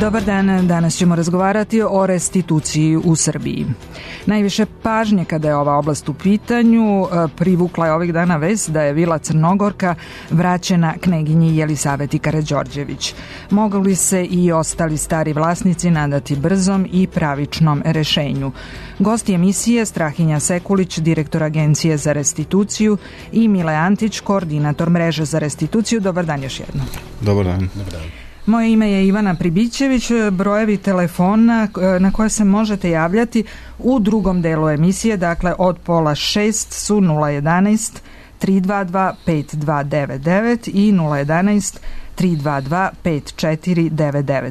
Dobar dan, danas ćemo razgovarati o restituciji u Srbiji. Najviše pažnje kada je ova oblast u pitanju privukla je ovih dana vest da je vila Crnogorka vraćena kneginji Jelisaveti Karađorđević. Mogu li se i ostali stari vlasnici nadati brzom i pravičnom rešenju? Gosti emisije Strahinja Sekulić, direktor Agencije za restituciju, i Mile Antić, koordinator mreže za restituciju. Dobar dan još jednom. Dobar dan. Moje ime je Ivana Pribićević. Brojevi telefona na koje se možete javljati u drugom delu emisije, dakle od 5:30 su 011 322 5299 i 011 322 5499.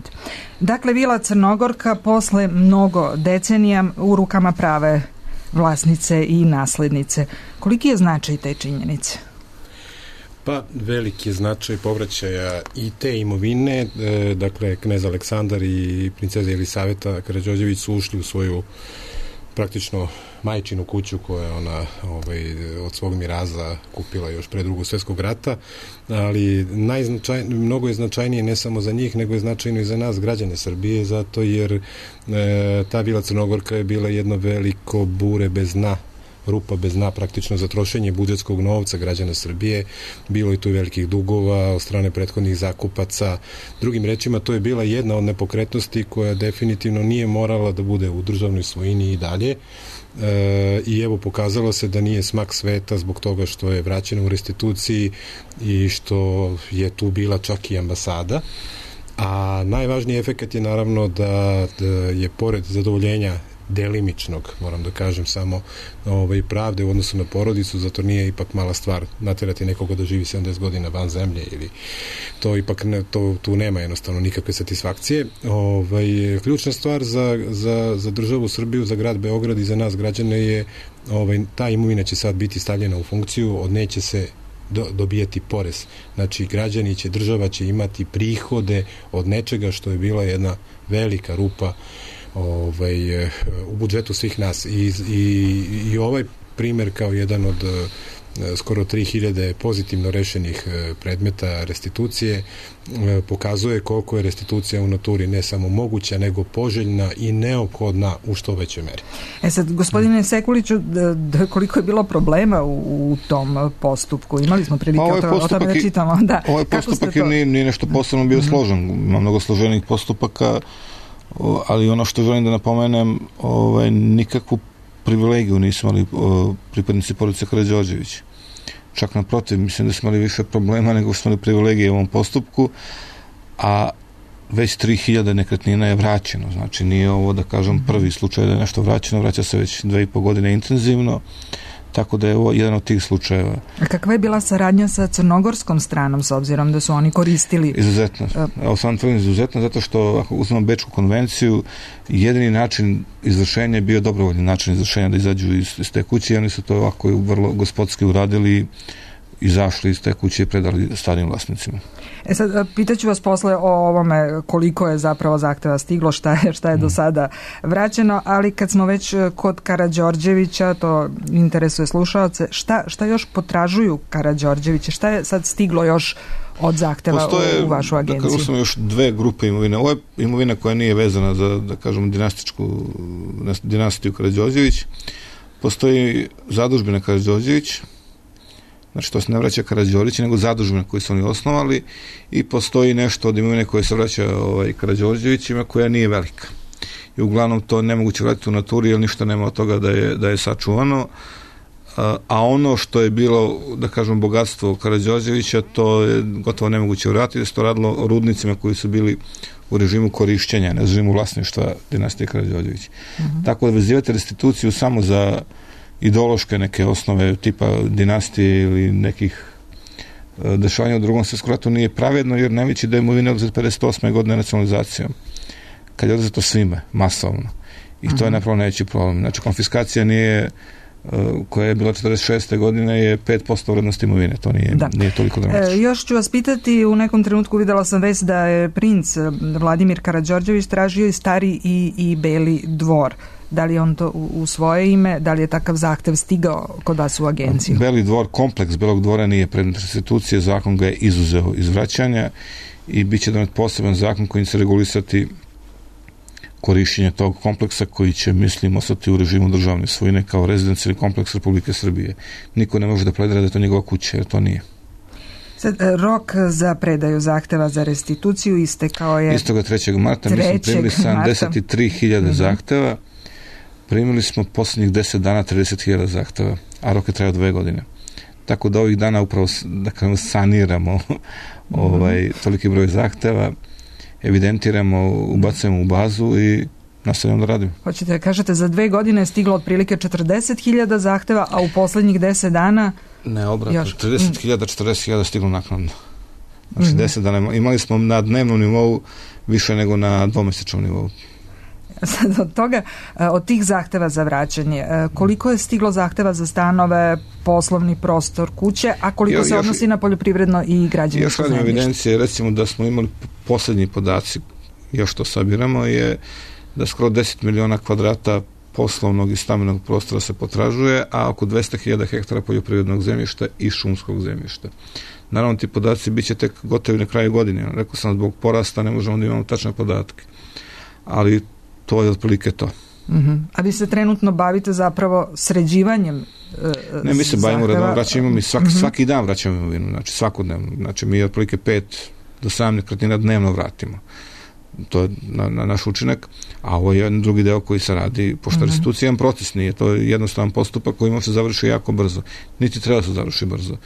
Dakle, vila Crnogorka posle mnogo decenija u rukama prave vlasnice i naslednice. Koliki je značaj te činjenice? Pa, veliki je značaj povraćaja i te imovine. Dakle, knez Aleksandar i princeza Jelisaveta Karađorđević su ušli u svoju praktično majčinu kuću koju je ona od svog miraza kupila još pre Drugog svjetskog rata, ali mnogo je značajnije ne samo za njih, nego je značajno i za nas, građane Srbije, zato jer ta vila Crnogorka je bila jedno veliko bure bez dna, rupa bez dna praktično za trošenje budžetskog novca građana Srbije. Bilo je tu velikih dugova od strane prethodnih zakupaca. Drugim rečima, to je bila jedna od nepokretnosti koja definitivno nije morala da bude u državnoj svojini i dalje. I evo, pokazalo se da nije smak sveta zbog toga što je vraćena u restituciji i što je tu bila čak i ambasada. A najvažniji efekat je naravno da je pored zadovoljenja delimičnog, moram da kažem, samo pravde u odnosu na porodicu, zato nije ipak mala stvar naterati nekoga da živi 70 godina van zemlje, ili to ipak tu nema jednostavno nikakve satisfakcije. Ključna stvar za državu Srbiju, za grad Beograd i za nas građane je ta imovina će sad biti stavljena u funkciju, od neće se dobijati porez. Znači, građani će, država će imati prihode od nečega što je bila jedna velika rupa u budžetu svih nas. I ovaj primer kao jedan od skoro 3000 pozitivno rešenih predmeta restitucije pokazuje koliko je restitucija u naturi ne samo moguća, nego poželjna i neophodna u što većoj meri. Sad, gospodine Sekuliću, koliko je bilo problema u tom postupku? Imali smo prilike o tome da čitamo. Ovaj postupak nije nešto posebno bio složen. Ima mnogo složenih postupaka, ali ono što želim da napomenem, nikakvu privilegiju nisu imali pripadnici porodice Karađorđević. Čak naprotiv, mislim da smo imali više problema nego smo imali privilegije u ovom postupku, a već 3000 nekretnina je vraćeno. Znači, nije ovo, da kažem, prvi slučaj da je nešto vraćeno, vraća se već 2,5 godine intenzivno, tako da je ovo jedan od tih slučajeva. A kakva je bila saradnja sa crnogorskom stranom, s obzirom da su oni koristili? Izuzetno. Evo sam tvrdim izuzetno, zato što ako uzmemo Bečku konvenciju, jedini način izvršenja je bio dobrovoljni način izvršenja, da izađu iz te kuće, i oni su to ovako vrlo gospodski uradili, izašli iz te kuće i predali starim vlasnicima. Sad, pitaću vas posle o ovome koliko je zapravo zahteva stiglo, šta je do sada vraćeno, ali kad smo već kod Karađorđevića, to interesuje slušaoce, šta još potražuju Karađorđevića? Šta je sad stiglo još od zahteva u vašu agenciju? Dakle, smo još dve grupe imovine. Ovo je imovina koja nije vezana za, da kažem, dinastiju Karađorđević. Postoji zadužbina Karađorđević, znači to se ne vraća Karađorđević, nego zadužbine koje su oni osnovali, i postoji nešto od imovine koje se vraća Karađorđevićima koja nije velika. I uglavnom to nemoguće vratiti u naturi, jer ništa nema od toga da je sačuvano. A ono što je bilo, da kažem, bogatstvo Karađorđevića, to je gotovo nemoguće vratiti, da se to radilo o rudnicima koji su bili u režimu korišćenja, ne režimu vlasništva dinastije Karađorđević. Tako da vezivate restituciju samo za ideološke neke osnove tipa dinastije ili nekih dešavanja u Drugom svjetskom ratu nije pravedno, jer najveći deo imovine je oduzet 58. godine nacionalizacijom, kad je oduzeto svime, masovno. I to je napravo najveći problem. Znači, konfiskacija nije koja je bila 46. godine je 5% vrednosti imovine. To nije toliko dramatično. Još ću vas pitati, u nekom trenutku videla sam vest da je princ Vladimir Karađorđević tražio i stari i Beli dvor. Da li je on to u svoje ime, da li je takav zahtev stigao kod vas u agenciju? Beli dvor, kompleks Belog dvora nije predmet restitucije, zakon ga je izuzeo iz vraćanja i bit će donet poseban zakon kojim će regulisati korišćenje tog kompleksa koji će, mislim, ostati u režimu državne svojine kao rezidencijalni kompleks Republike Srbije. Niko ne može da pledira da je to njegova kuća, jer to nije. Sad, rok za predaju zahteva za restituciju istekao je... Istoga 3. marta, mi smo primili 73.000 zahteva, primili smo posljednjih 10 dana 30.000 zahteva, a rok je trajao 2 godine. Tako da ovih dana upravo saniramo toliki broj zahteva, evidentiramo, ubacujemo u bazu i nastavljamo da radimo. Hoćete da kažete, za 2 godine je stiglo otprilike 40.000 zahteva, a u poslednjih 10 dana... Ne, obratno, 40.000 stiglo naknadno. Znači 10 dana imali smo na dnevnom nivou više nego na dvomesečnom nivou. Sad od tih zahteva za vraćanje, koliko je stiglo zahteva za stanove, poslovni prostor, kuće, a koliko se odnosi na poljoprivredno i građevinsko zemljište? Još radim evidencije, recimo da smo imali poslednji podaci, još to sabiramo, je da skoro 10 miliona kvadrata poslovnog i stambenog prostora se potražuje, a oko 200.000 hektara poljoprivrednog zemljišta i šumskog zemljišta. Naravno, ti podaci bit će tek gotovi na kraju godine. Rekao sam, zbog porasta ne možemo da imamo tačne podatke. Ali to je otprilike to. A vi se trenutno bavite zapravo sređivanjem Ne, mi se bavimo redom, vraćamo mi svaki dan vraćamo imovinu, znači svakodnevno. Znači mi otprilike 5 do 7 nekretnina dnevno vratimo. To je na naš učinak, a ovo je jedan drugi deo koji se radi, pošto restitucija je proces, nije to jednostavan postupak koji može se završi jako brzo. Niti treba da se završi brzo.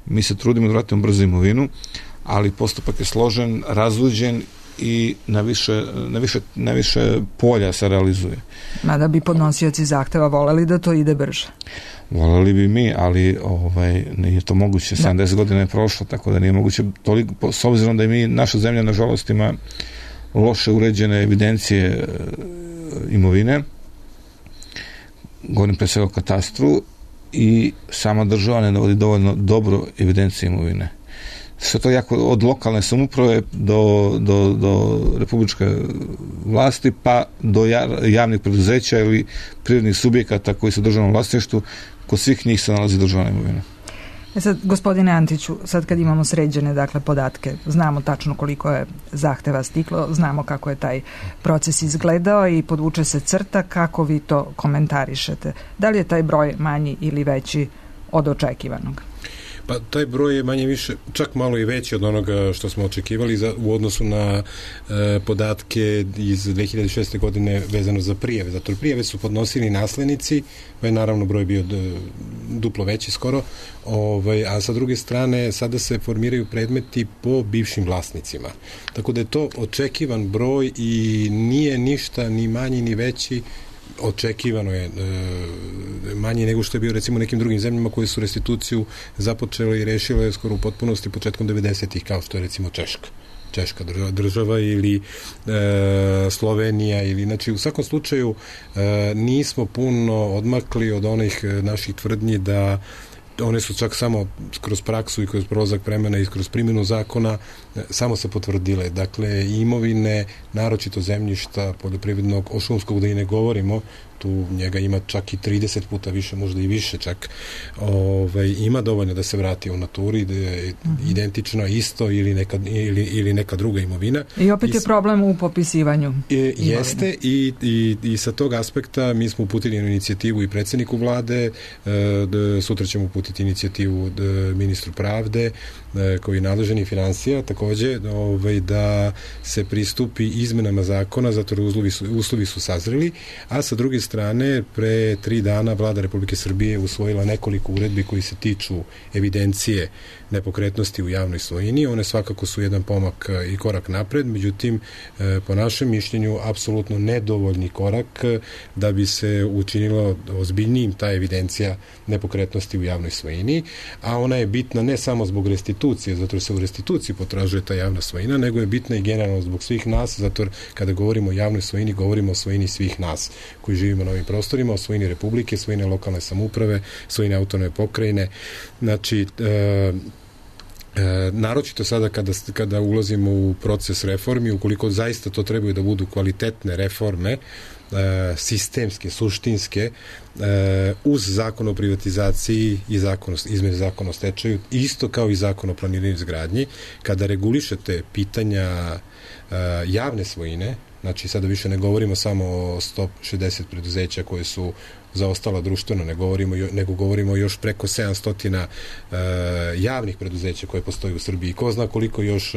Mi se trudimo da vratimo brzo imovinu, ali postupak je složen, razluđen i na više polja se realizuje. Mada bi podnosioci zahteva voleli da to ide brže. Voleli bi mi, ali nije to moguće. 70 godina je prošlo, tako da nije moguće toliko, s obzirom da je naša zemlja nažalost ima loše uređene evidencije imovine, govorim pre svega o katastru, i sama država ne dovodi dovoljno dobro evidencije imovine. Sve to jako od lokalne samouprave do republičke vlasti, pa do javnih preduzeća ili privrednih subjekata koji su u državnom vlasništvu, kod svih njih se nalazi državna imovina. Sad, gospodine Antiću, sad kad imamo sređene podatke, znamo tačno koliko je zahteva stiglo, znamo kako je taj proces izgledao i podvuče se crta, kako vi to komentarišete? Da li je taj broj manji ili veći od očekivanog? Pa taj broj je manje više, čak malo i veći od onoga što smo očekivali u odnosu na podatke iz 2006. godine vezano za prijave. Zato prijave su podnosili naslednici, pa je naravno broj bio duplo veći skoro, a sa druge strane sada se formiraju predmeti po bivšim vlasnicima. Tako da je to očekivan broj i nije ništa ni manji ni veći, očekivano je manje nego što je bio recimo nekim drugim zemljama koje su restituciju započele i rešile skoro u potpunosti početkom 90-ih, kao što je recimo Češka država ili Slovenija, ili znači u svakom slučaju nismo puno odmakli od onih naših tvrdnji da one su čak samo kroz praksu i kroz prolazak vremena i kroz primjenu zakona samo se potvrdile. Dakle, imovine, naročito zemljišta poljoprivrednog, o šumskog da i ne govorimo, tu njega ima čak i 30 puta više, možda i više čak, ima dovoljno da se vrati u naturi, da je identično isto ili neka druga imovina. I opet je problem u popisivanju. Jeste i sa tog aspekta mi smo uputili inicijativu i predsjedniku vlade, sutra ćemo uputiti inicijativu ministru pravde, koji je nadležan i financija, takođe da se pristupi izmenama zakona, zato uslovi su sazreli, a sa druge strane, pre 3 dana Vlada Republike Srbije usvojila nekoliko uredbi koji se tiču evidencije nepokretnosti u javnoj svojini. One svakako su jedan pomak i korak napred, međutim, po našem mišljenju, apsolutno nedovoljni korak da bi se učinilo ozbiljnijim ta evidencija nepokretnosti u javnoj svojini, a ona je bitna ne samo zbog restitucije, restitucije, zato se u restituciji potražuje ta javna svojina, nego je bitna i generalno zbog svih nas, zato kada govorimo o javnoj svojini, govorimo o svojini svih nas koji živimo na ovim prostorima, o svojini Republike, svojine lokalne samouprave, svojine autonomne pokrajine. Znači, naročito sada kada ulazimo u proces reformi, ukoliko zaista to trebaju da budu kvalitetne reforme, sistemske, suštinske, uz zakon o privatizaciji i izmene zakona o stečaju, isto kao i zakon o planiranju i izgradnji, kada regulišete pitanja javne svojine, znači sada više ne govorimo samo o 160 preduzeća koje su zaostala društveno, nego govorimo još preko 700 javnih preduzeća koje postoji u Srbiji. Ko zna koliko još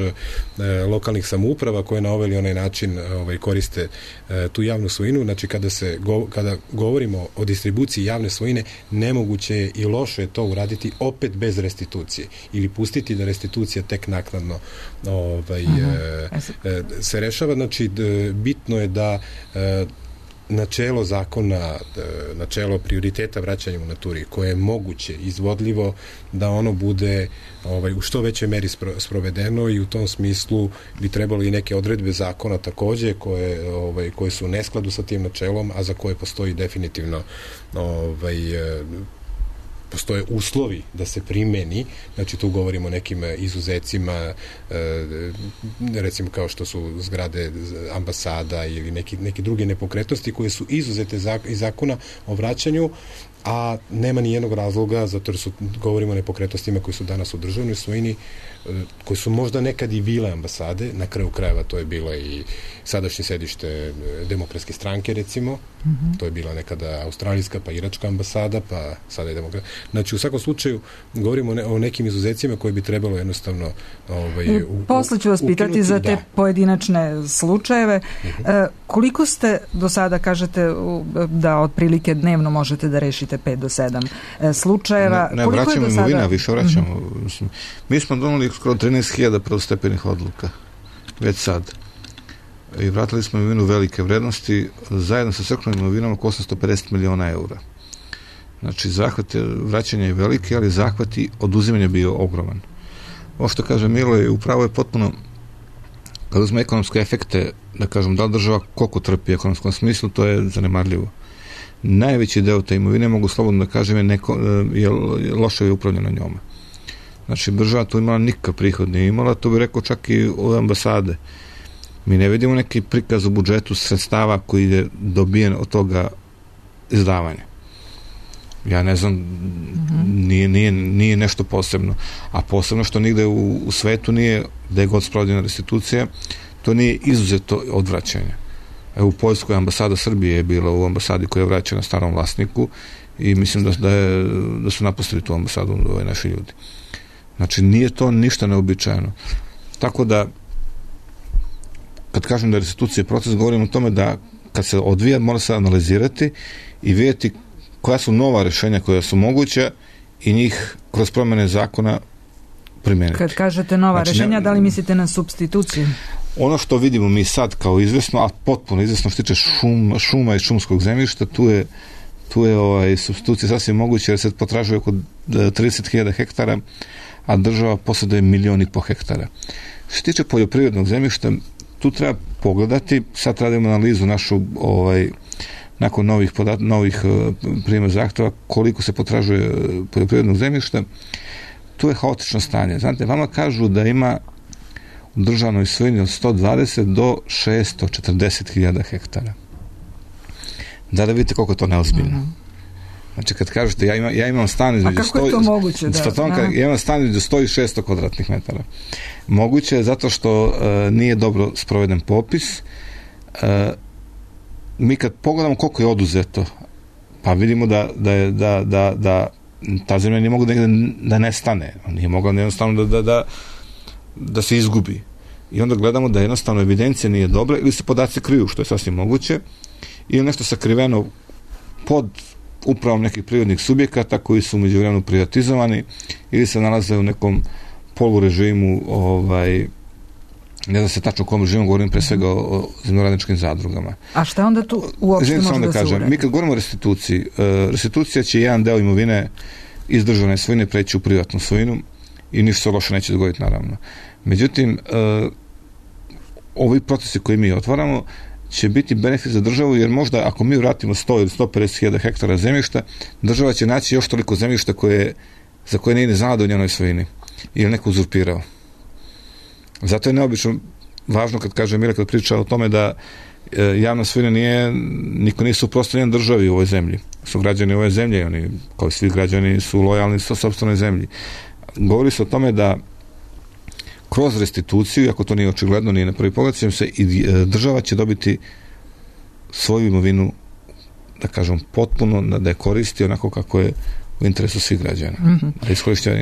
lokalnih samouprava koje na ovaj ili onaj način koriste tu javnu svojinu. Znači kada govorimo o distribuciji javne svojine, nemoguće je i loše je to uraditi opet bez restitucije ili pustiti da restitucija tek naknadno se rešava. Znači bitno je da načelo zakona, načelo prioriteta vraćanja u naturi, koje je moguće, izvodljivo, da ono bude u što većoj meri sprovedeno, i u tom smislu bi trebalo i neke odredbe zakona takođe koje su u neskladu sa tim načelom, a za koje postoji definitivno postoje uslovi da se primeni. Znači tu govorimo o nekim izuzecima, recimo kao što su zgrade ambasada ili neke druge nepokretnosti koje su izuzete iz zakona o vraćanju, a nema ni jednog razloga, zato jer govorimo o nepokretnostima koji su danas u državnoj svojini, koji su možda nekad i bile ambasade, na kraju krajeva to je bila i sadašnje sedište Demokratske stranke, recimo, to je bila nekada australijska pa iračka ambasada, pa sada je demokratska. Znači u svakom slučaju govorimo o nekim izuzecima koje bi trebalo jednostavno posle ću vas pitati za te pojedinačne slučajeve. Koliko ste do sada, kažete da otprilike dnevno možete da rešite 5 do 7 slučajeva? Ne vraćamo imovina, više vraćamo. Mi smo donali skoro 13.000 prvostepenih odluka već sad. I vratili smo imovinu velike vrednosti, zajedno sa crkvenom imovinom oko 850 miliona eura. Znači, zahvat vraćanja je veliki, ali zahvat i oduzimanja bio ogroman. Ovo što kaže Milo je upravo je potpuno, kad uzme ekonomske efekte, da kažem, da li država koliko trpi u ekonomskom smislu, to je zanemarljivo. Najveći deo te imovine, mogu slobodno da kažem, je loše upravljeno njome. Znači, država tu imala nikakav prihod nije imala, to bi rekao čak i od ambasade. Mi ne vidimo neki prikaz u budžetu sredstava koji je dobijen od toga izdavanja. Ja ne znam, nije nešto posebno. A posebno što nigde u svetu nije, da je god sprovedena restitucija, to nije izuzeto od vraćanja. U Poljskoj ambasada Srbije je bila u ambasadi koja je vraćena starom vlasniku i mislim da su napustili tu ambasadu naši ljudi. Znači, nije to ništa neobičajeno. Tako da, kad kažem da je restitucija proces, govorim o tome da kad se odvija, mora se analizirati i vidjeti koja su nova rešenja koja su moguća i njih kroz promene zakona primeniti. Kad kažete nova rešenja, da li mislite na supstituciju? Ono što vidimo mi sad kao izvesno, a potpuno izvesno što tiče šuma i šumskog zemljišta, tu je supstitucija sasvim moguća jer se potražuje oko 30.000 hektara, a država posjeduje 1,5 miliona hektara. Što se tiče poljoprivrednog zemljišta, tu treba pogledati, sad radimo analizu našu nakon novih prijema zahteva, koliko se potražuje poljoprivrednog zemljišta. Tu je haotično stanje. Znate, vama kažu da ima u državnoj svojini od 120 do 640.000 hektara. Da vidite koliko je to neozbiljno. Znači, kad kažete, ja imam stan između 100 i 600 kvadratnih metara. Moguće je zato što nije dobro sproveden popis. Mi kad pogledamo koliko je oduzeto, pa vidimo da ta zemlja nije mogla da nestane. Nije mogla jednostavno da se izgubi. I onda gledamo da jednostavno evidencija nije dobra ili se podaci kriju, što je sasvim moguće, ili nešto sakriveno pod upravom nekih prirodnih subjekata koji su umeđu vremenu privatizovani ili se nalaze u nekom polurežimu, ne znam se tačno o kom režimu, govorim pre svega o zemljoradničkim zadrugama. A šta onda tu uopšte može da se uredi? Mi kad govorimo o restituciji, restitucija će jedan deo imovine iz državne svojine preći u privatnu svojinu i ništa se loše neće dogoditi, naravno. Međutim, ovi procesi koji mi otvaramo će biti benefit za državu, jer možda ako mi vratimo 100 ili 150.000 hektara zemljišta, država će naći još toliko zemljišta za koje nije znala da u njenoj svojini ili neko uzurpirao. Zato je neobično važno kad kaže Mile, kad priča o tome da javna svojina niko nije suprotstavljen državi u ovoj zemlji. Su građani ove zemlje, oni, kao i svi građani, su lojalni sa sopstvenoj zemlji. Govori se o tome da kroz restituciju, ako to nije očigledno, nije na prvi pogled, i država će dobiti svoju imovinu, da kažem, potpuno, da je koristi onako kako je u interesu svih građana. Da iskorišćava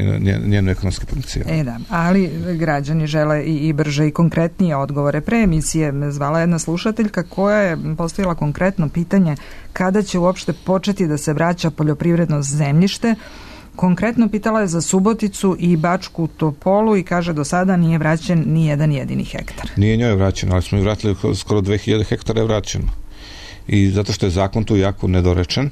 njenu ekonomski potencijal. Da, ali građani žele i brže i konkretnije odgovore. Pre emisije zvala jedna slušateljka koja je postavila konkretno pitanje kada će uopšte početi da se vraća poljoprivredno zemljište. Konkretno pitala je za Suboticu i Bačku Topolu i kaže do sada nije vraćen ni jedan jedini hektar. Nije njoj vraćeno, ali smo i vratili skoro 2000 hektara je vraćeno. I zato što je zakon tu jako nedorečen,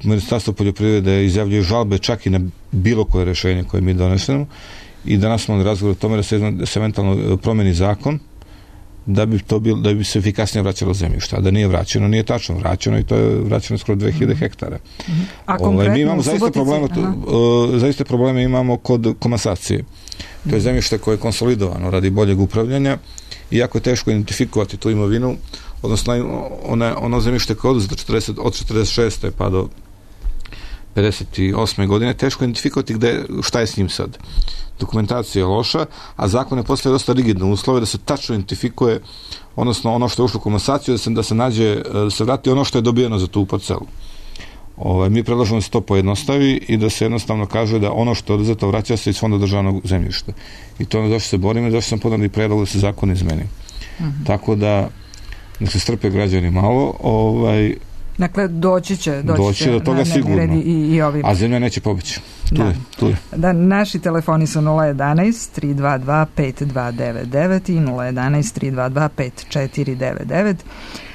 Ministarstvo poljoprivrede izjavljuje žalbe čak i na bilo koje rešenje koje mi donesemo i danas smo razgovor o tome da se eventualno promeni zakon da bi se efikasnije vraćalo zemljište, a da nije vraćeno, nije tačno vraćeno i to je vraćeno skoro 2000 hektara. A konkretno mi imamo zaista probleme imamo kod komasacije. To je zemljište koje je konsolidovano radi boljeg upravljanja i jako je teško identifikovati tu imovinu, odnosno ono zemljište koje je oduzeto od 46. pa do 58. godine, teško identifikovati šta je s njim sad. Dokumentacija je loša, a zakon je postavio dosta rigidne uslove da se tačno identifikuje, odnosno ono što je ušlo u komasaciju, da se vrati ono što je dobijeno za tu parcelu. Mi predlažemo da se to pojednostavi i da se jednostavno kaže da ono što je oduzeto vraća se iz fonda državnog zemljišta. I to je ono zašto se borimo i zašto sam podao i predlog da se zakon izmeni. Tako da se strpe građani malo. Dakle, doći će do toga sigurno. I ovim. A zemlja neće pobeći. Tu je. Da, naši telefoni su 011-322-5299 i 011-322-5499.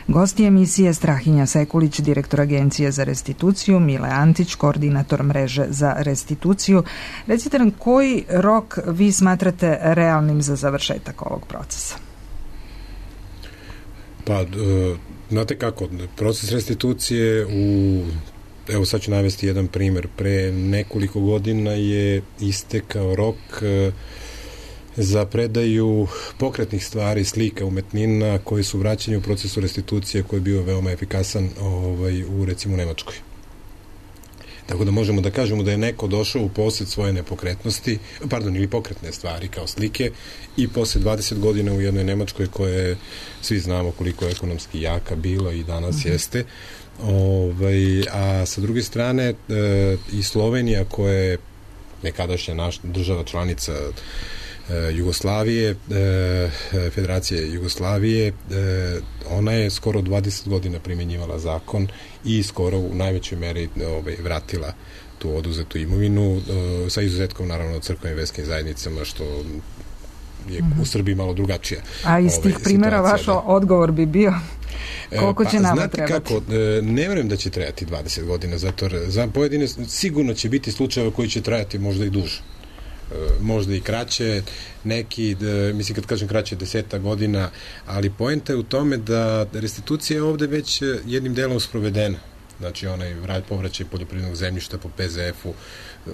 Gosti emisije Strahinja Sekulić, direktor Agencije za restituciju, Mile Antić, koordinator mreže za restituciju. Recite nam, koji rok vi smatrate realnim za završetak ovog procesa? Pa, znate kako, proces restitucije evo sad ću navesti jedan primer. Pre nekoliko godina je istekao rok za predaju pokretnih stvari, slika, umetnina koji su vraćeni u procesu restitucije koji je bio veoma efikasan u recimo Nemačkoj. Tako da možemo da kažemo da je neko došao u posjed svoje nepokretnosti, ili pokretne stvari kao slike i posle 20 godina u jednoj Nemačkoj koja je, svi znamo koliko je ekonomski jaka bila i danas jeste. A sa druge strane i Slovenija koja je nekadašnja naša država članica Jugoslavije, Federacije Jugoslavije, ona je skoro 20 godina primjenjivala zakon i skoro u najvećoj meri vratila tu oduzetu imovinu, sa izuzetkom naravno crkvenim verskim zajednicama, što je u Srbiji malo drugačija. A iz tih primjera vaš odgovor bi bio koliko će nama trebati? Znate kako, ne vjerujem da će trebati 20 godina, zato za pojedine sigurno će biti slučajeva koji će trajati možda i duže. Možda i kraće, neki, mislim kad kažem kraće, 10 godina, ali poenta je u tome da restitucija je ovde već jednim delom sprovedena. Znači onaj povraćaj poljoprivrednog zemljišta po PZF-u,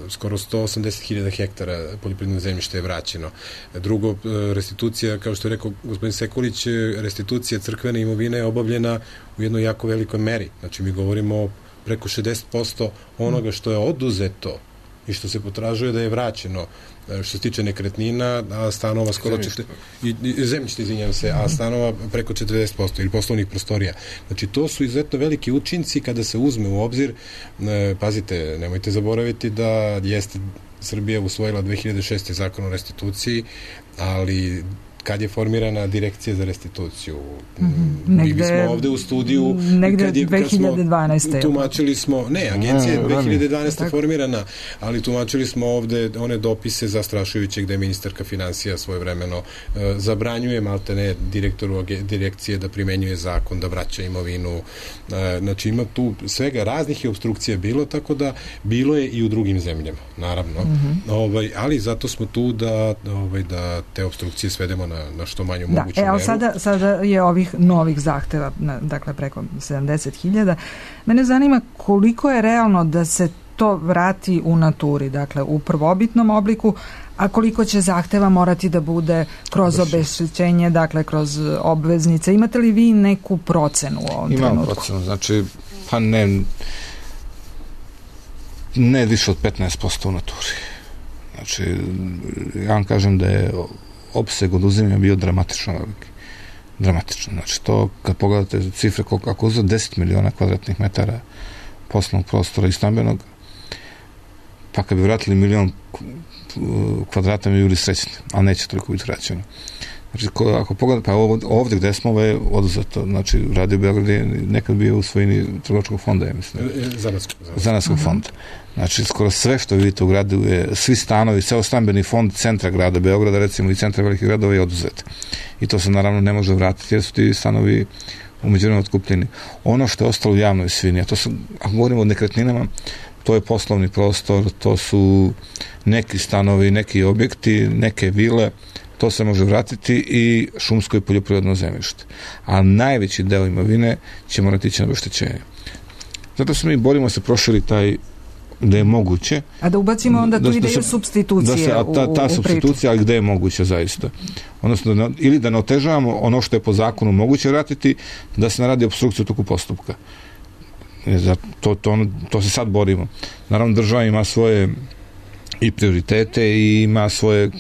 skoro 180.000 hektara poljoprivrednog zemljišta je vraćeno. Drugo, restitucija, kao što je rekao gospodin Sekulić, restitucija crkvene imovine je obavljena u jednoj jako velikoj meri. Znači mi govorimo preko 60% onoga što je oduzeto i što se potražuje da je vraćeno, što se tiče nekretnina, a stanova skoro zemljište, izvinjam se, a stanova preko 40% ili poslovnih prostorija. Znači, to su izuzetno veliki učinci kada se uzme u obzir. Pazite, nemojte zaboraviti da jeste Srbija usvojila 2006. zakon o restituciji, ali kad je formirana direkcija za restituciju. Negde, smo ovde u studiju negde 2012. Tumačili smo, agencija je 2012. formirana, ali tumačili smo ovde one dopise zastrašujuće gde ministarka finansija svojevremeno zabranjuje maltene direktoru direkcije da primenjuje zakon, da vraća imovinu. Znači ima tu svega raznih je obstrukcija bilo, tako da bilo je i u drugim zemljama, naravno. Ali zato smo tu da te obstrukcije svedemo na što manju moguću meru. Sada je ovih novih zahteva, dakle preko 70.000. Mene zanima koliko je realno da se to vrati u naturi, dakle u prvobitnom obliku, a koliko će zahteva morati da bude kroz obeštećenje, dakle kroz obveznice. Imate li vi neku procenu u ovom trenutku? Imam procenu, znači ne više od 15% u naturi. Znači, ja vam kažem da je opseg oduzimanja bio dramatično veliki. Dramatično. Znači, to kad pogledate cifre, ako uzeo 10 miliona kvadratnih metara poslovnog prostora i stambenog, pa kad bi vratili milion kvadrata mi bili srećni, ali neće toliko biti vraćeno. Znači, ako pogledate, pa ovdje gde smo je oduzeto, znači Radio Beograd je nekad bio u svojini trgovačkog fonda, ja mislim. Zanatskog fonda. Znači, skoro sve što vidite u gradu je, svi stanovi, ceo stambeni fond centra grada Beograda, recimo i centra velikih gradova je oduzet. I to se naravno ne može vratiti jer su ti stanovi umeđuvremenu otkupljeni. Ono što je ostalo u javnoj svini, a to su, ako govorimo o nekretninama, to je poslovni prostor, to su neki stanovi, neki objekti, neke vile, to se može vratiti i šumsko i poljoprivredno zemljište. A najveći deo imovine će morati ići na obeštećenje. Zato se mi borimo da se proširi taj, gde je moguće. A da ubacimo onda tu ideju supstitucije ta supstitucija, ali gde je moguće zaista. Odnosno, ili da ne otežavamo ono što je po zakonu moguće vratiti, da se naradi opstrukciju toku postupka. To se sad borimo. Naravno, država ima svoje i prioritete i ima svoje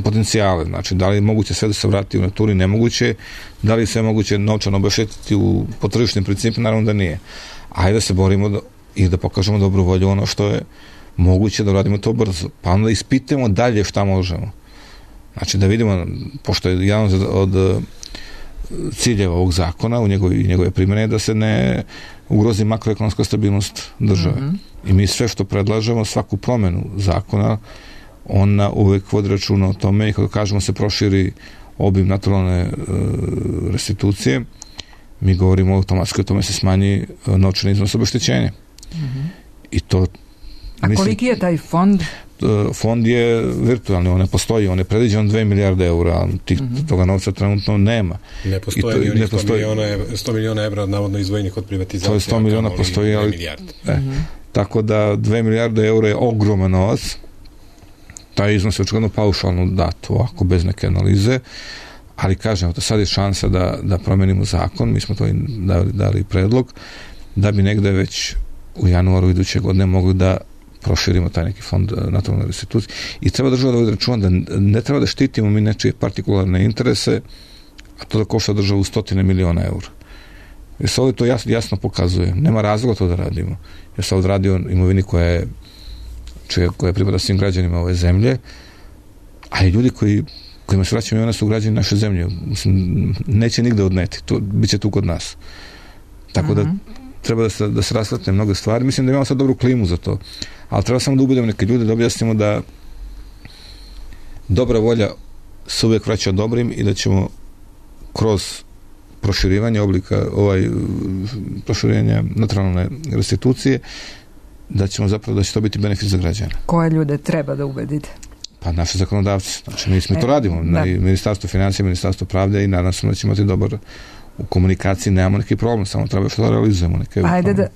potencijale. Znači, da li je moguće sve da se vrati u naturi? Nemoguće. Da li se moguće novčano obeštetiti po tržišnim principima? Naravno da nije. Ajde da se borimo i da pokažemo dobru volju ono što je moguće da radimo to brzo. Pa onda ispitamo dalje šta možemo. Znači, da vidimo, pošto je jedan od ciljeva ovog zakona u njegove primjene da se ne ugrozi makroekonomska stabilnost države. I mi sve što predlažemo, svaku promenu zakona, ona uvek vodi računa o tome i kada kažemo se proširi obim naturalne restitucije, mi govorimo automatski o tome se smanji novčani iznos obeštećenja. I to... A koliki je taj fond? Fond je virtualni, on ne postoji, on je predviđen 2 milijarde eura, ali toga novca trenutno nema. Ne postoji ni 100 miliona evra navodno izdvojenih od privatizacije. To je 100 miliona postoji, ali... Tako da 2 milijarde eura je ogroman novac. Taj iznos je očigledno paušalno dat, ovako bez neke analize, ali kažem, sad je šansa da promenimo zakon, mi smo to dali predlog, da bi negde već u januaru iduće godine mogli da proširimo taj neki fond naturalne restitucije. I treba država da vodi računa da ne treba da štitimo mi nečije partikularne interese, a to da košta državu 100 miliona eura. Jer se ovdje to jasno pokazuje. Nema razloga to da radimo. Jer se ovdje radi o imovini koja pripada svim građanima ove zemlje, a i ljudi kojima se vraćamo imovina su građani naše zemlje. Mislim, neće nigde odneti. To bit će tu kod nas. Tako da treba da se rasvetne mnoge stvari. Mislim da imamo sad dobru klimu za to. Ali treba samo da ubedimo neke ljude, da objasnimo da dobra volja se uvijek vraća dobrim i da ćemo kroz proširivanje oblika proširenja naturalne restitucije da će to biti benefit za građane. Koje ljude treba da ubedite? Pa naše zakonodavci. Znači mi to radimo. Ministarstvo financija, Ministarstvo pravde i nadam se da ćemo imati dobar u komunikaciji, nemamo neki problem, samo treba što da realizujemo neke...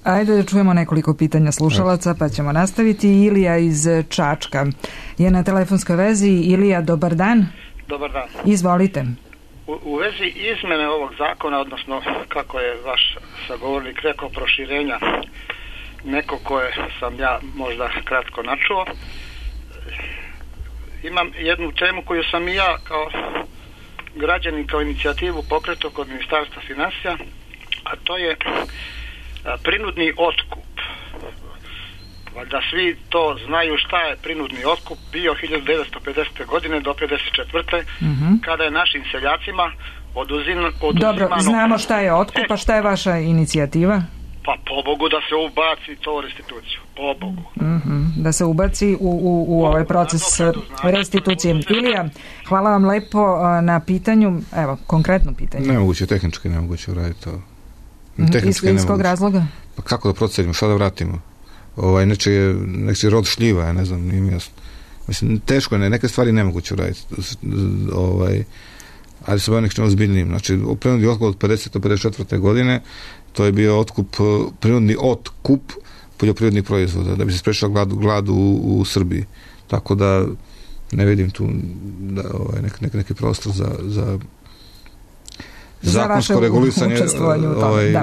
Ajde da čujemo nekoliko pitanja slušalaca, pa ćemo nastaviti. Ilija iz Čačka je na telefonskoj vezi. Ilija, dobar dan. Dobar dan. Izvolite. U vezi izmene ovog zakona, odnosno kako je vaš sagovornik rekao, proširenja, neko koje sam ja možda kratko načuo, imam jednu temu koju sam i ja kao građanin, kao inicijativu pokretao kod Ministarstva financija, a to je prinudni otkup Valjda svi to znaju šta je prinudni otkup bio 1950. godine do 1954. Kada je našim seljacima oduzimano... Dobro, znamo šta je otkup, a šta je vaša inicijativa? Pa pobogu da se ubaci to u restituciju, pobogu. Da se ubaci u ovaj proces restitucije. Ilija, hvala vam lepo na pitanju, evo, konkretno pitanje. Nemoguće, tehnički nemoguće uraditi to. Iz kog razloga? Pa kako da procenimo, šta da vratimo? Nečiji rod šljiva, ja ne znam, nije mi jasno. Mislim, teško je, neke stvari nemoguće uraditi. Ali se bavim nečim ozbiljnijim. Znači, prinudni otkup od 50. do 54. godine, to je bio prinudni otkup poljoprivrednih proizvoda, da bi se sprečila glad u Srbiji. Tako da ne vidim tu neki prostor za zakonsko regulisanje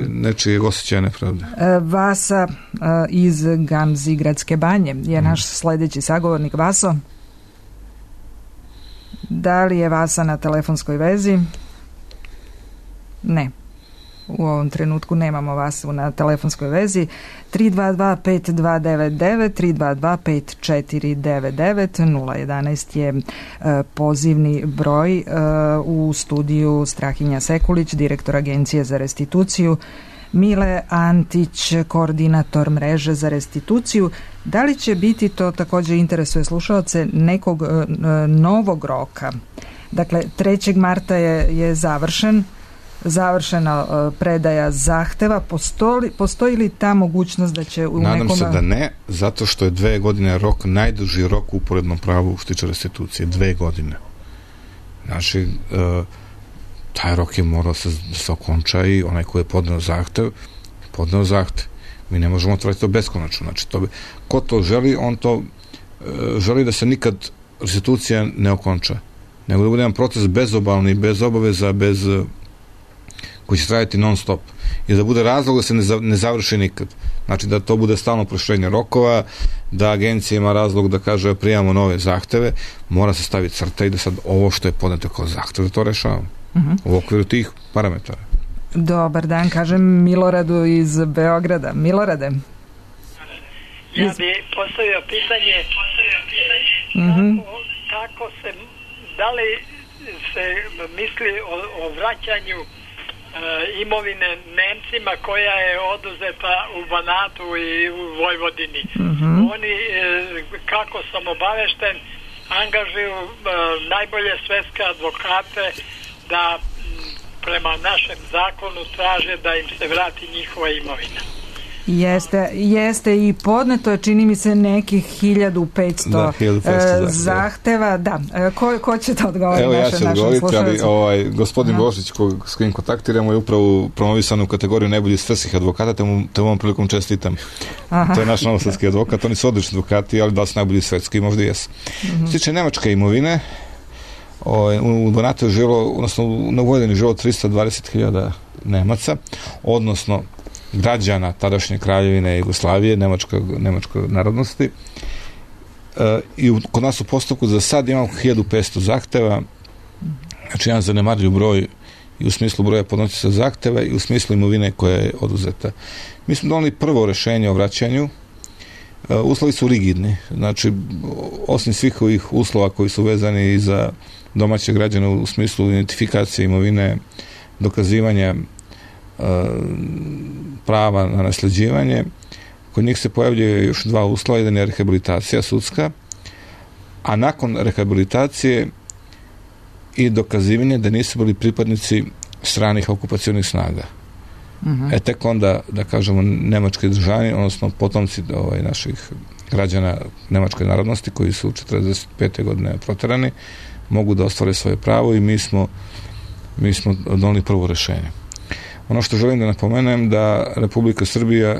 nečijeg osjećaja nepravde. Vasa iz Gamzigradske banje je naš sledeći sagovornik. Vaso, da li je Vasa na telefonskoj vezi? Ne. U ovom trenutku nemamo Vasu na telefonskoj vezi. 322-5299, 322-5499, 011 je pozivni broj. U studiju Strahinja Sekulić, direktor Agencije za restituciju, Mile Antić, koordinator mreže za restituciju. Da li će biti, to također interesuje slušaoce, nekog novog roka? Dakle, 3. marta je završena predaja zahteva. Postoji li ta mogućnost da će u Nadam nekome... se da ne, zato što je 2 godine rok, najduži rok u uporednom pravu što tiče restitucije. 2 godine. Znači, taj rok je morao da se okonča i onaj koji je podneo zahtev. Mi ne možemo otvoriti to beskonačno. Znači, ko to želi, on to želi da se nikad restitucija ne okonča. Nego da bude jedan proces bezobalni, bez obaveza, koji će trajati non stop. I da bude razlog da se ne završi nikad. Znači da to bude stalno proširenje rokova, da agencija ima razlog da kaže prijavamo nove zahteve, mora se staviti crta i da sad ovo što je podneto kao zahtev, da to rešavamo. U okviru tih parametara. Dobar dan, kažem Miloradu iz Beograda. Milorade. Ja bi postavio pitanje kako se, da li se misli o vraćanju imovine Nemcima koja je oduzeta u Banatu i u Vojvodini. Oni, kako sam obavešten, angažuju najbolje svetske advokate da prema našem zakonu traže da im se vrati njihova imovina. Jeste i podneto je, čini mi se, nekih 1500 zahteva. Da. Ko će to odgovoriti? Evo ja ću odgovoriti, ali gospodin Božić s kojim kontaktiramo je upravo promovisan u kategoriju najboljih svetskih advokata, te ovom prilikom čestitam. To je naš novosadski advokat, oni su odlični advokati, ali da su najbolji svetski, možda i jesu. Što tiče nemačke imovine, u Banatu je živjelo, odnosno na Vojvodini je živjelo 320.000 Nemaca, odnosno građana tadašnje kraljevine Jugoslavije, nemačke narodnosti. I kod nas u postupku za sad imamo 1500 zahteva, znači jedan zanemarljiv broj i u smislu broja podnosioca zahteva i u smislu imovine koja je oduzeta. Mi smo doneli prvo rešenje o vraćanju. Uslovi su rigidni, znači osim svih ovih uslova koji su vezani i za domaće građane u smislu identifikacije imovine, dokazivanja prava na nasljeđivanje, kod njih se pojavljuje još 2 uslova, jedan je rehabilitacija sudska, a nakon rehabilitacije i dokazivanje da nisu bili pripadnici stranih okupacionih snaga. Tek onda, da kažemo, nemački državljani, odnosno potomci naših građana nemačke narodnosti koji su 45. godine proterani, mogu da ostvare svoje pravo i mi smo doneli prvo rešenje. Ono što želim da napomenem da Republika Srbija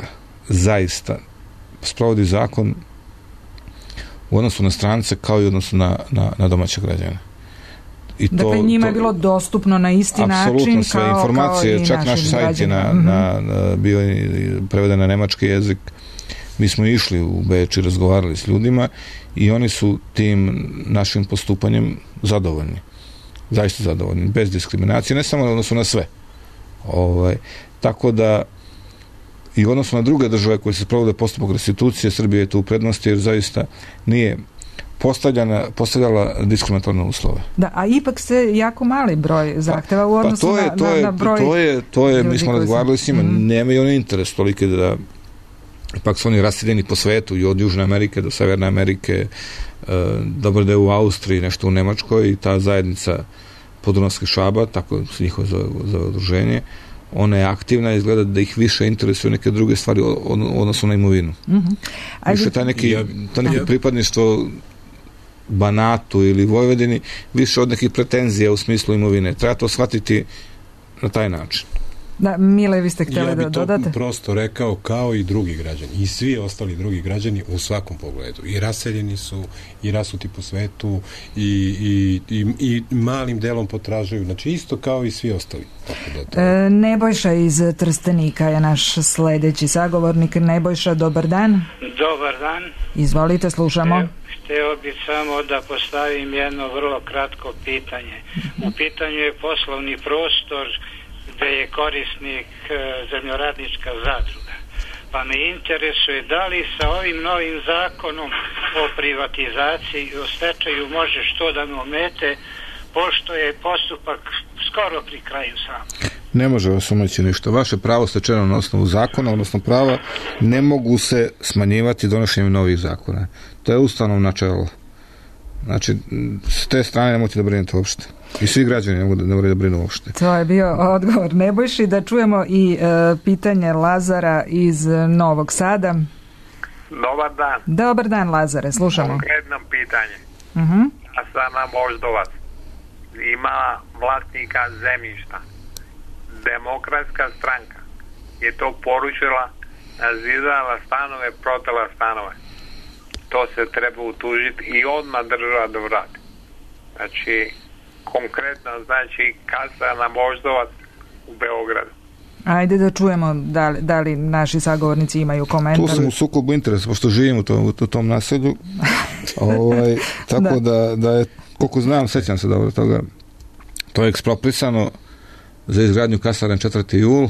zaista sprovodi zakon u odnosu na strance kao i u odnosu na domaće građane. Dakle, njima je bilo dostupno na isti način apsolutno sve informacije, kao i čak naš sajt je bio preveden na nemački jezik. Mi smo išli u Beč i razgovarali s ljudima i oni su tim našim postupanjem zadovoljni. Zaista zadovoljni, bez diskriminacije, ne samo u odnosu na sve. Tako da i odnosno na druge države koje se provode postupak restitucije, Srbija je tu u prednosti jer zaista nije postavljala diskriminatorne uslove. Da, a ipak se jako mali broj zahteva u odnosu na broj to je mi smo razgovarali s njima, nemaju oni interes toliki da ipak su oni raseljeni po svetu i od Južne Amerike do Severne Amerike, dobro da je u Austriji, nešto u Nemačkoj i ta zajednica Podunavskih Šaba, tako se njihovo za udruženje, ona je aktivna i izgleda da ih više interesuju neke druge stvari odnosno na imovinu. Više taj neki pripadništvo Banatu ili Vojvodini više od nekih pretenzija u smislu imovine. Treba to shvatiti na taj način. Da, Mile, vi ste htjeli da dodate? Ja bih to prosto rekao kao i drugi građani i svi ostali drugi građani u svakom pogledu. I raseljeni su, i rasuti po svetu i malim delom potražuju. Znači isto kao i svi ostali. Nebojša iz Trstenika je naš sledeći sagovornik. Nebojša, dobar dan. Dobar dan. Izvolite, slušamo. Hteo bih samo da postavim jedno vrlo kratko pitanje. U pitanju je poslovni prostor gde je korisnik zemljoradnička zadruga. Pa me interesuje da li sa ovim novim zakonom o privatizaciji i o stečaju može što da me omete, pošto je postupak skoro pri kraju sam. Ne može vas omeći ništa. Vaše pravo stečeno na osnovu zakona, odnosno prava, ne mogu se smanjivati donošenjem novih zakona. To je ustavno načelo. Znači, s te strane nemojte da brinete uopšte. I svi građani ne moraju da brinu uopšte. To je bio odgovor Nebojši. Da čujemo i pitanje Lazara iz Novog Sada. Dobar dan. Dobar dan, Lazare, slušamo. Konkretno pitanje. Asana Moždovac ima vlasnika zemljišta. Demokratska stranka je to poručila, nazidala stanove, protela stanove. To se treba utužiti i odmah država da vrati. Znači, konkretno, znači, kasa na Moždovac u Beogradu. Ajde da čujemo da li naši sagovornici imaju komentar. Tu sam u sukobu interesa, pošto živim u tom naselju. Tako da je, koliko znam, sećam se dobro toga, to je eksproprisano za izgradnju kasarne 4. jul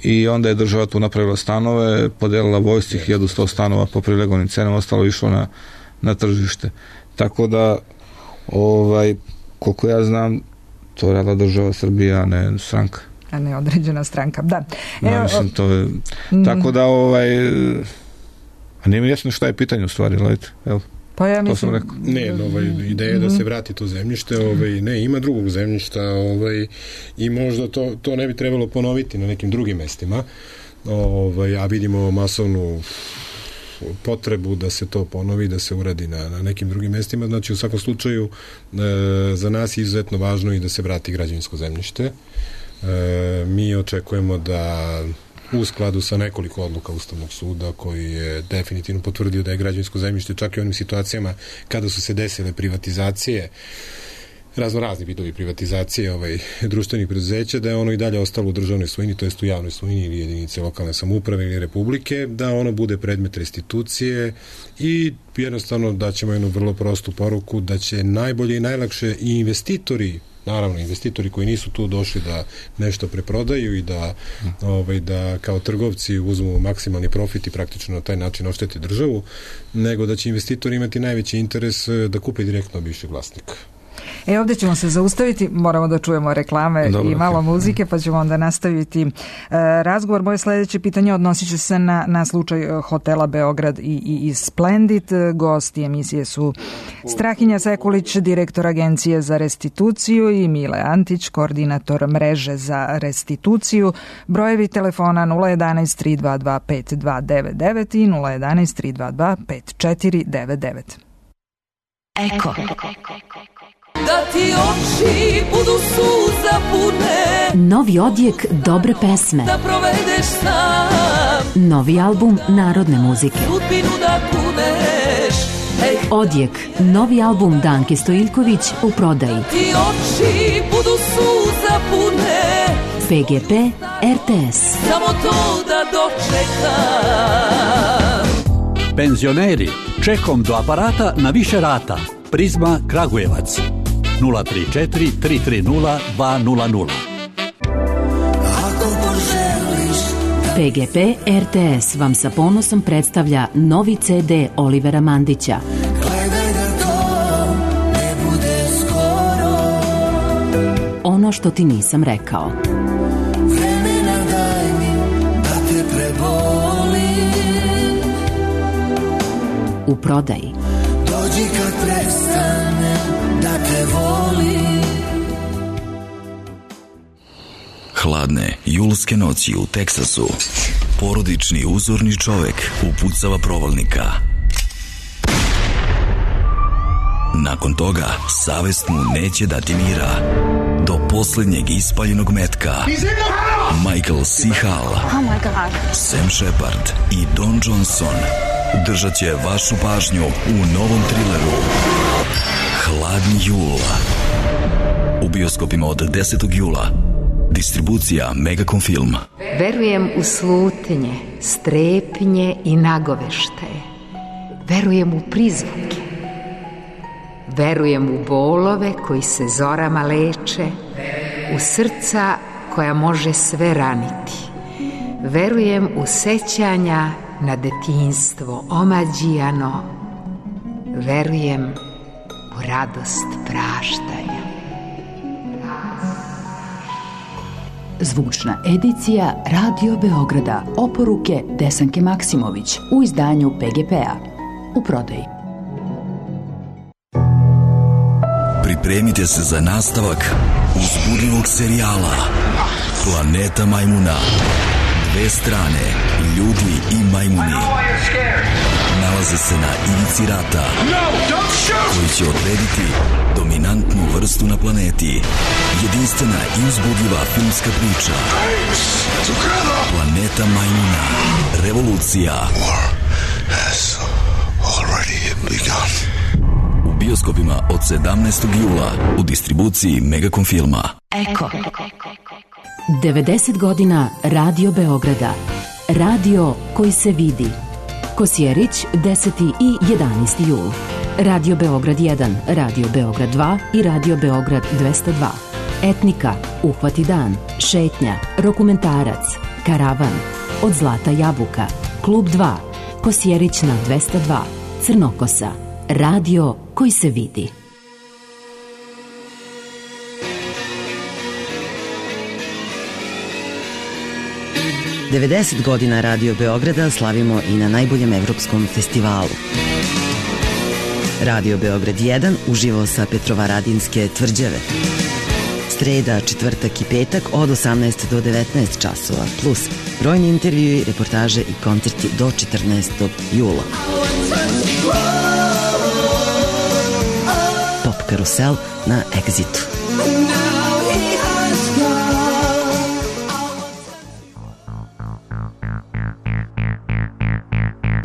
i onda je država tu napravila stanove, podelila vojsci 1100 stanova po prilegovnim cenama, ostalo išlo na tržište. Tako da koliko ja znam, to je radila država Srbija, a ne stranka. A ne određena stranka, da. Mislim, to je... Tako da, a nije mi jasno šta je pitanje u stvari, gledajte, evo. Pa ja mislim... Ne, ideja je da se vrati to zemljište, ne, ima drugog zemljišta, i možda to ne bi trebalo ponoviti na nekim drugim mestima, a vidimo masovnu potrebu da se to ponovi, da se uradi na nekim drugim mestima. Znači, u svakom slučaju, za nas je izuzetno važno i da se vrati građevinsko zemljište. Mi očekujemo da u skladu sa nekoliko odluka Ustavnog suda koji je definitivno potvrdio da je građevinsko zemljište čak i u onim situacijama kada su se desile privatizacije, razni vidovi privatizacije društvenih preduzeća, da je ono i dalje ostalo u državnoj svojini, to jest u javnoj svojini ili jedinice lokalne samouprave ili republike, da ono bude predmet restitucije i jednostavno da ćemo jednu vrlo prostu poruku da će najbolje i najlakše i investitori, naravno investitori koji nisu tu došli da nešto preprodaju i da kao trgovci uzmu maksimalni profit i praktično na taj način oštete državu, nego da će investitori imati najveći interes da kupe direktno bivšeg vlasnika. Ovdje ćemo se zaustaviti, moramo da čujemo reklame i malo muzike, pa ćemo onda nastaviti razgovor. Moje sljedeće pitanje odnosit će se na slučaj hotela Beograd i Splendid. Gosti emisije su Strahinja Sekulić, direktor Agencije za restituciju, i Mile Antić, koordinator mreže za restituciju. Brojevi telefona 011 322 5299 i 011 322 5499. Eko. Da ti oči budu suza pune. Novi odjek dobre pesme. Da provedeš sam. Novi album narodne muzike. Sudbinu da kuneš. Odjek, novi album Danke Stojiljković u prodaji. Ti oči budu suza pune. PGP RTS. Samo to da dočekam. Penzioneri, čekom do aparata na više rata. Prizma Kragujevac 034 330 200. PGP RTS vam sa ponosom predstavlja novi CD Olivera Mandića. Gledaj da to ne bude skoro. Ono što ti nisam rekao. Vremena daj mi da te prebolim. U prodaji. Dođi kad prestane da te volim. Hladne julske noći u Teksasu. Porodični uzorni čovek upucava provalnika. Nakon toga, savest mu neće dati mira. Do poslednjeg ispaljenog metka Michael C. Hall, Sam Shepard i Don Johnson držat će vašu pažnju u novom trileru Hladni jul. U bioskopima od 10. jula. Distribucija Megacom Film. Verujem u slutnje, strepnje i nagoveštaje. Verujem u prizvuke. Verujem u bolove koji se zorama leče, u srca koja može sve raniti. Verujem u sećanja na detinjstvo omađijano. Verujem u radost praštanja. Zvučna edicija Radio Beograda. Oporuke Desanke Maksimović u izdanju PGP-a. U prodaji. Pripremite se za nastavak uzbudljivog serijala Planeta majmuna. Dve strane, ljudi i majmuni, nalaze se na ivici rata koji će odrediti dominantnu vrstu na planeti. Jedinstvena i uzbudljiva filmska priča Planeta majmuna. Revolucija. U bioskopima od 17. jula u distribuciji Megacom Filma. Eko. 90 godina Radio Beograda. Radio koji se vidi. Kosjerić, 10. i 11. jul. Radio Beograd 1, Radio Beograd 2 i Radio Beograd 202. Etnika, Uhvati dan, Šetnja, Rokumentarac, Karavan, Od zlata jabuka, Klub 2, Kosjerić na 202, Crnokosa. Radio koji se vidi. Devedeset godina Radio Beograda slavimo i na najboljem evropskom festivalu. Radio Beograd 1 uživo sa Petrovaradinske tvrđave. Sreda, četvrtak i petak od 18 do 19 časova, plus brojni intervjui, reportaže i koncerti do 14. jula. Pop karusel na Exitu.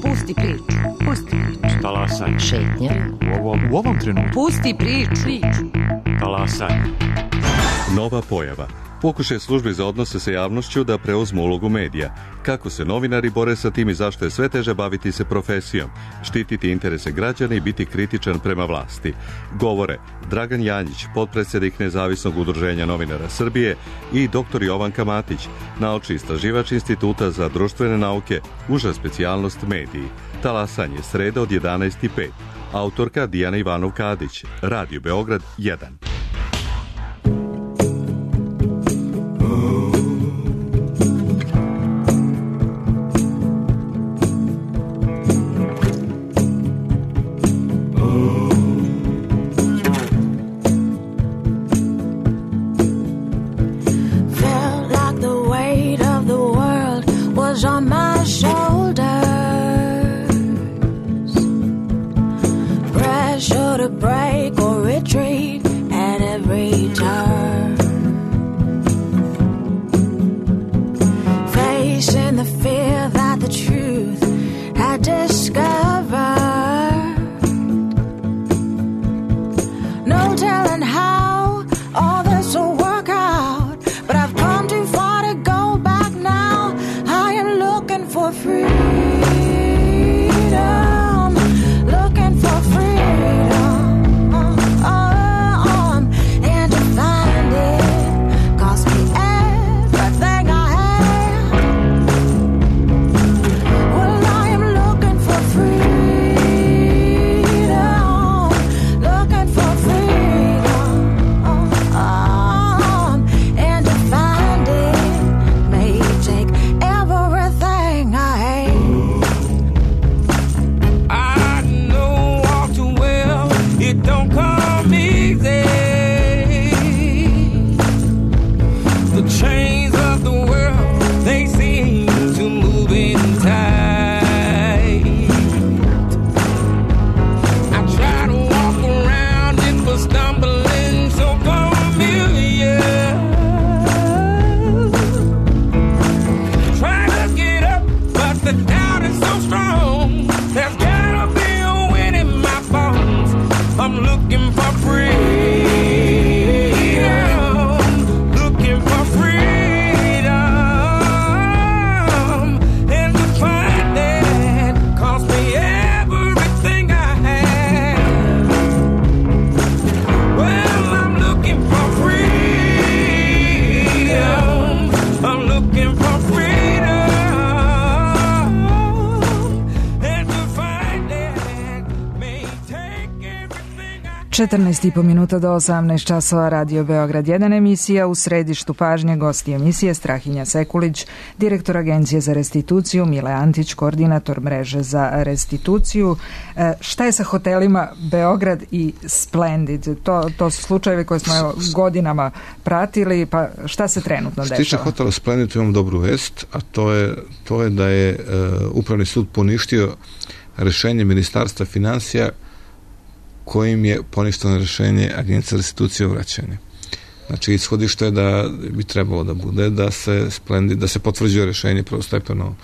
Pusti priču. Talasanje. Šetnja. U ovom trenutku. Pusti priču. Talasanje. Nova pojava. Pokušaj službi za odnose sa javnošću da preuzmu ulogu medija. Kako se novinari bore sa tim i zašto je sve teže baviti se profesijom, štititi interese građana i biti kritičan prema vlasti. Govore Dragan Janjić, potpredsjednik Nezavisnog udruženja novinara Srbije, i dr. Jovanka Matić, naučni istraživač Instituta za društvene nauke, uža specijalnost mediji. Talasanje, sreda od 11:05. Autorka Dijana Ivanov-Kadić. Radio Beograd 1. For free. 14,5 minuta do 18 časova, Radio Beograd 1 emisija. U središtu pažnje gosti emisije Strahinja Sekulić, direktor Agencije za restituciju, Mile Antić, koordinator mreže za restituciju. Šta je sa hotelima Beograd i Splendid? To su slučajevi koje smo godinama pratili, pa šta se trenutno dešava? Što tiče hotela Splendid, imam dobru vest, a to je da je Upravni sud poništio rešenje Ministarstva finansija kojim je poništeno rešenje Agencije za restituciju i vraćanje. Znači, ishodište je da bi trebalo da bude da se potvrđuje rešenje prvostepeno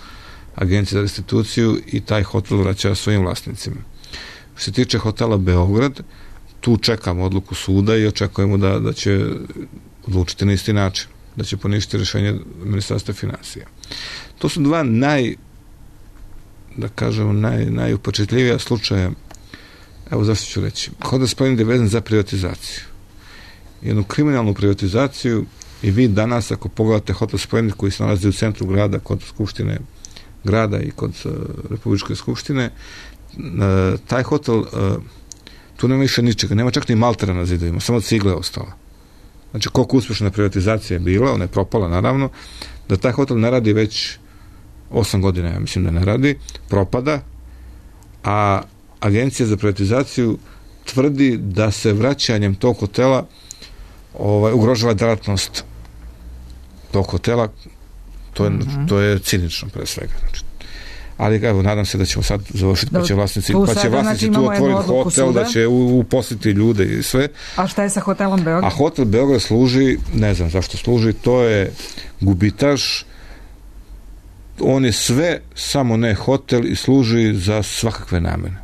Agencije za restituciju i taj hotel vraća svojim vlasnicima. Što se tiče hotela Beograd, tu čekamo odluku suda i očekujemo da će odlučiti na isti način, da će poništiti rešenje Ministarstva finansija. To su dva najupečetljivija slučaja. Evo zašto ću reći. Hotel Splendid je vezan za privatizaciju. Jednu kriminalnu privatizaciju i vi danas ako pogledate Hotel Splendid koji se nalazi u centru grada kod Skupštine grada i kod Republičke skupštine, taj hotel tu nema više ničega, nema čak ni maltera na zidovima, samo cigle je ostala. Znači koliko uspješna privatizacija je bila, ona je propala naravno, da taj hotel ne radi već 8 godina, ja mislim da ne radi, propada, a Agencija za privatizaciju tvrdi da se vraćanjem tog hotela ugrožava delatnost tog hotela. To je cinično pre svega. Znači, ali evo, nadam se da ćemo sad završiti, pa će vlasnici tu otvoriti hotel, da će uposliti ljude i sve. A šta je sa hotelom Beograd? A hotel Beograd služi, ne znam zašto služi, to je gubitaš, on je sve, samo ne hotel i služi za svakakve namene.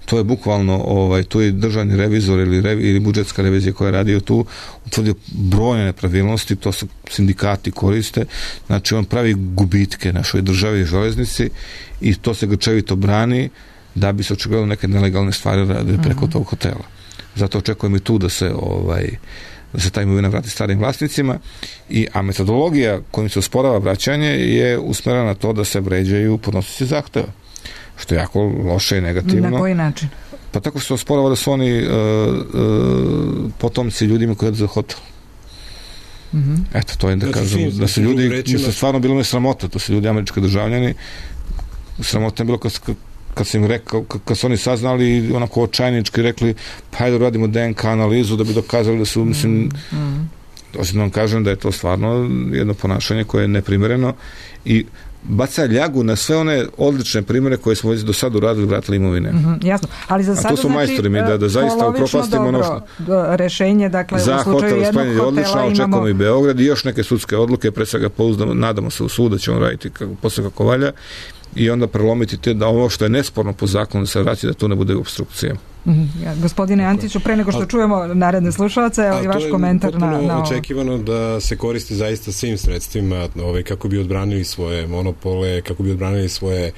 To je bukvalno, tu je državni revizor ili budžetska revizija koja je radio tu, utvrdio brojne nepravilnosti, to su sindikati koriste, znači on pravi gubitke našoj državi i železnici i to se grčevito brani da bi se očigledno neke nelegalne stvari radili preko tog hotela. Zato očekujem i tu da se ta imovina vrati starim vlasnicima, a metodologija kojim se osporava vraćanje je usmerena na to da se vređaju podnosioci zahteva, što je jako loše i negativno. Na koji način? Pa tako što osporava da su oni potomci ljudima koji jedu za hotel. Eto, to je da kažem, da su ljudi, stvarno bilo me sramota, to su ljudi američki državljani, sramota je bilo kad sam im rekao, kad su oni saznali onako očajnički rekli, pa hajde radimo DNK analizu da bi dokazali da su, mislim, osim vam kažem da je to stvarno jedno ponašanje koje je neprimjereno i baca ljagu na sve one odlične primjere koje smo već do sada uradili, vratili imovine. Jasno, ali za sada to su majstori mi da zaista upropastimo dobro rešenje, dakle za u slučaju jednog hotela odlično, imamo... očekujemo i Beograd i još neke sudske odluke, pre svega pouzdamo, nadamo se u sud da će on raditi posle kako valja i onda prelomiti da ovo što je nesporno po zakonu da se vraća, da tu ne bude obstrukcija. Gospodine Antiću, pre nego što čujemo naredne slušalce, ali vaš komentar na ovo. To je očekivano da se koristi zaista svim sredstvima kako bi odbranili svoje monopole, kako bi odbranili svoje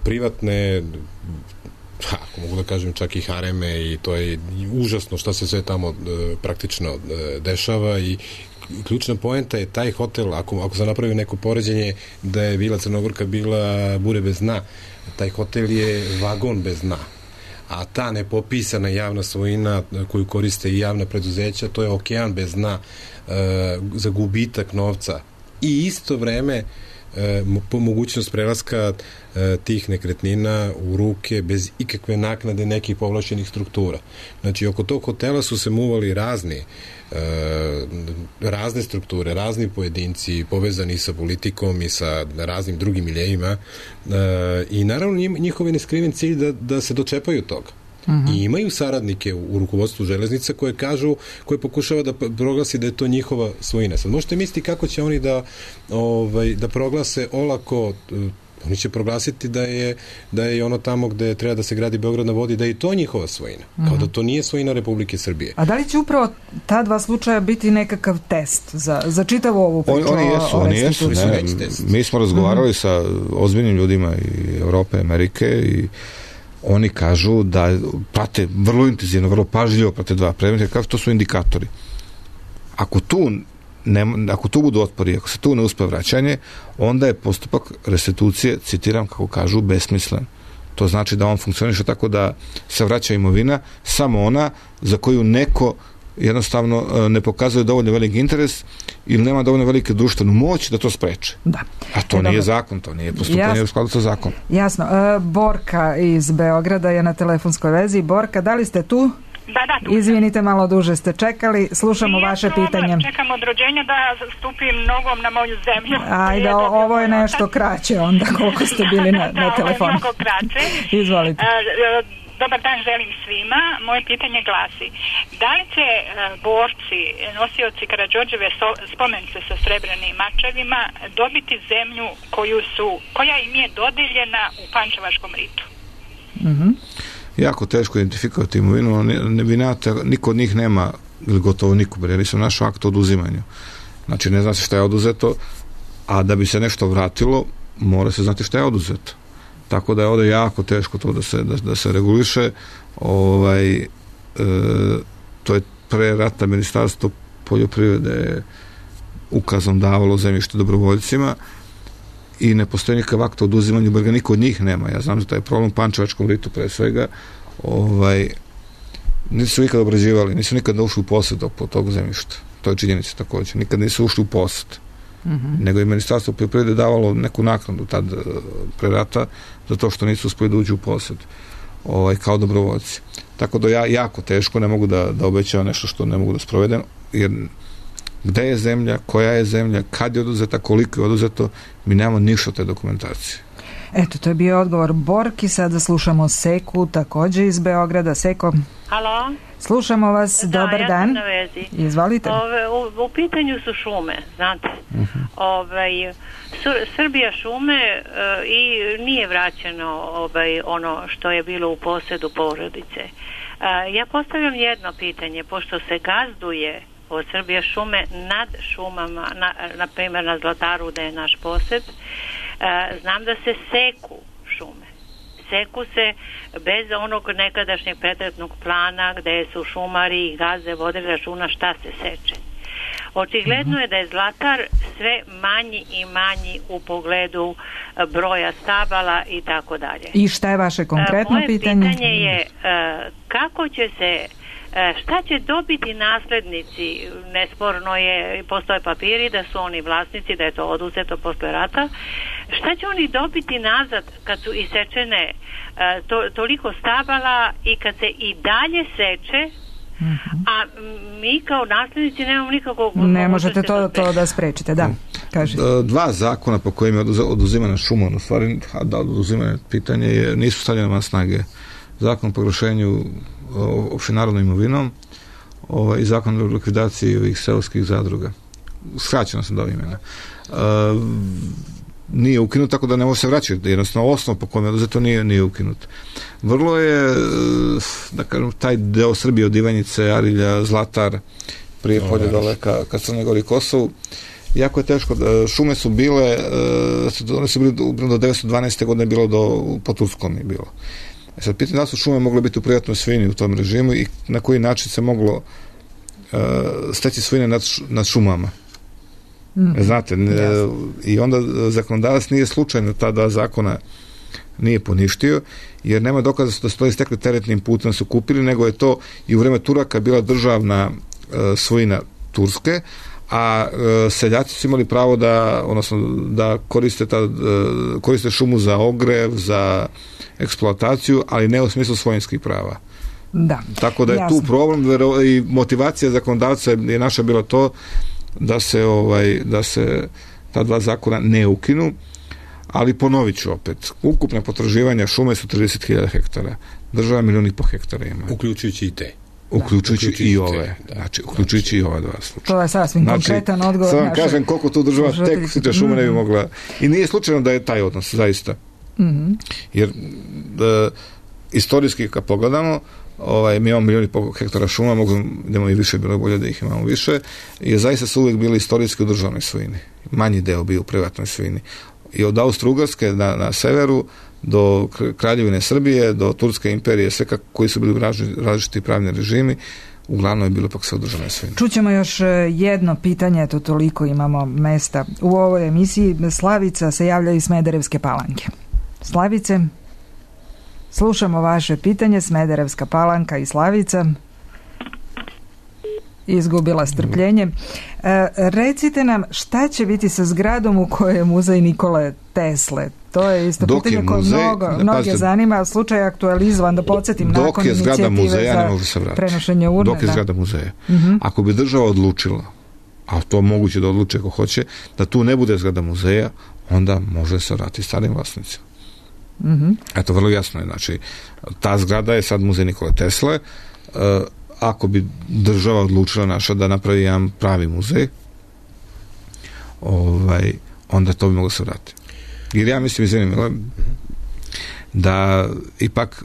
privatne, ako mogu da kažem čak i hareme, i to je užasno šta se sve tamo praktično dešava i ključna poenta je taj hotel, ako se napravi neko poređenje da je Vila Crnogorka bila bure bez dna, taj hotel je vagon bez dna, a ta nepopisana javna svojina koju koriste i javna preduzeća, to je okean bez dna za gubitak novca i isto vreme po mogućnost prelaska tih nekretnina u ruke bez ikakve naknade nekih povlašćenih struktura. Znači, oko tog hotela su se muvali razne strukture, razni pojedinci povezani sa politikom i sa raznim drugim miljejima i naravno njihov je neskriven cilj da se dočepaju toga. I imaju saradnike u rukovodstvu železnica koje pokušava da proglasi da je to njihova svojina. Sad možete misliti kako će oni da proglase olako, oni će proglasiti da je ono tamo gde treba da se gradi Beograd na vodi, da je to njihova svojina. Kao da to nije svojina Republike Srbije. A da li će upravo ta dva slučaja biti nekakav test za čitavu ovu priču? Oni jesu. Mi smo razgovarali sa ozbiljnim ljudima i Evrope, Amerike i oni kažu da prate vrlo intenzivno, vrlo pažljivo prate dva predmeta, kako to su indikatori. Ako tu budu otpori, ako se tu ne uspe vraćanje, onda je postupak restitucije, citiram kako kažu, besmislen. To znači da on funkcioniše tako da se vraća imovina, samo ona za koju neko jednostavno ne pokazuje dovoljno veliki interes ili nema dovoljno velike društvenu moć da to spreče. Da. A to nije zakon, to nije postupanje u skladu sa zakonom. Jasno. Borka iz Beograda je na telefonskoj vezi. Borka, da li ste tu? Da, izvinite, malo duže ste čekali. Slušamo vaše pitanje. Čekam od rođenja da stupim nogom na moju zemlju. Ajde, ovo je nešto kraće onda, koliko ste bili na telefonu. Ovo je mnogo kraće. Izvolite. Dobar dan želim svima. Moje pitanje glasi: da li će borci, nosioci Karađorđeve spomenice sa srebrnim mačevima dobiti zemlju koja im je dodeljena u Pančevačkom ritu? Jako teško identifikovati imovinu, niko od njih nema, ili gotovo niko, jer nisam našao akt o oduzimanju. Znači, ne zna se šta je oduzeto, a da bi se nešto vratilo, mora se znati šta je oduzeto. Tako da je ovdje jako teško to da se reguliše. To je pre rata Ministarstvo poljoprivrede ukazom davalo zemljište dobrovoljcima i ne postoji nikakav akt o oduzimanju, jer ga niko od njih nema. Ja znam da taj problem u Pančevačkom ritu pre svega, nisu nikada obrađivali, nisu nikada ušli u posjed po tog zemljišta. To je činjenica također. Nikad nisu ušli u posjed. Nego je Ministarstvo poljoprivrede davalo neku naknadu tad pre rata za to što nisu uspjeli da uđu u posjed kao dobrovoljci. Tako da ja jako teško ne mogu da obećavam nešto što ne mogu da sprovedem, jer gde je zemlja, koja je zemlja, kad je oduzeta, koliko je oduzeto, mi nemamo ništa od te dokumentacije. Eto, to je bio odgovor Borki. Sada slušamo Seku, također iz Beograda. Seko. Halo. Slušamo vas, dobar dan. Ja sam na vezi. Izvolite. U pitanju su šume, znate. Srbija šume i nije vraćeno ono što je bilo u posjedu porodice. Ja postavljam jedno pitanje, pošto se gazduje od Srbija šume nad šumama, na primjer na Zlataru da je naš posjed, znam da se seku šume. Seku se bez onog nekadašnjeg predmetnog plana gdje su šumari i gazde vodili računa šta se seče. Očigledno je da je Zlatar sve manji i manji u pogledu broja stabala i tako dalje. I šta je vaše konkretno pitanje? Moje pitanje je kako će se, šta će dobiti naslednici? Nesporno je, postoje papiri da su oni vlasnici, da je to oduzeto posle rata. Šta će oni dobiti nazad kad su isečene toliko stabala i kad se i dalje seče, a mi kao naslednici nemamo nikakvog... Ne možete to da sprečite, da. Kažete. Dva zakona po kojim je oduzimana šuma, u stvari da oduzimane pitanje nisu stavljene na snage. Zakon o proglašenju opštenarodnom imovinom i zakon o likvidaciji ovih seoskih zadruga. Skraćeno sam dao imena. Nije ukinut, tako da ne može se vraćati. Jednostavno, osnov po kojem je oduzeto nije ukinut. Vrlo je, da kažem, taj deo Srbije od Ivanjice, Arilja, Zlatar, prije polje dole ka Crnoj Gori i Kosovu, jako je teško. Šume su bile, one su bili do 1912. godine bilo po Turskom je bilo. Sad pitanje da su šume mogle biti u privatnoj svojini u tom režimu i na koji način se moglo steći svojine nad šumama. Znate, i onda zakonodavac nije slučajno ta dva zakona nije poništio, jer nema dokaza da su to istekli teretnim putem su kupili, nego je to i u vreme Turaka bila državna svojina Turske, a seljaci su imali pravo da koriste šumu za ogrev, za eksploataciju, ali ne u smislu svojinskih prava. Da. Tako da je tu problem i motivacija zakonodavca je naša bila to da se ta dva zakona ne ukinu, ali ponovit ću opet. Ukupne potraživanja šume su 30.000 hektara. Država 1,5 miliona hektara ima. Uključujući i te. Uključujući i ove. Znači, uključujući i ova dva slučaja. To je sasvim konkretan odgovor. Sad vam kažem koliko tu država tek siče šume ne bi mogla. I nije slučajno da je taj odnos, zaista. Jer istorijski kad pogledamo, mi imamo 1,5 miliona hektara šuma, idemo i više, bilo je bolje da ih imamo više, i zaista su uvijek bili istorijski u državnoj svojini. Manji deo bio u privatnoj svojini. I od Austro-Ugarske na severu do Kraljevine Srbije, do Turske imperije, sve koji su bili različiti pravni režimi, uglavnom je bilo pak sve u državnoj svojini. Čućemo još jedno pitanje, eto toliko imamo mesta u ovoj emisiji. Slavica se javlja iz Smederevske Palanke. Slavice? Slušamo vaše pitanje. Smederevska Palanka i Slavica izgubila strpljenje. Recite nam, šta će biti sa zgradom u kojoj je muzej Nikole Tesle? To je isto pitanje koje mnoge zanima. Slučaj je aktualizovan, da podsjetim, nakon inicijative za prenošenje urne. Dok je zgrada muzeja. Ako bi država odlučila, a to moguće da odluče ako hoće, da tu ne bude zgrada muzeja, onda može se vratiti starim vlasnicima. Eto, vrlo jasno je. Znači, ta zgrada je sad muzej Nikole Tesle. Ako bi država odlučila naša da napravi jedan pravi muzej, onda to bi moglo se vratiti. Jer ja mislim, izvinimo, da ipak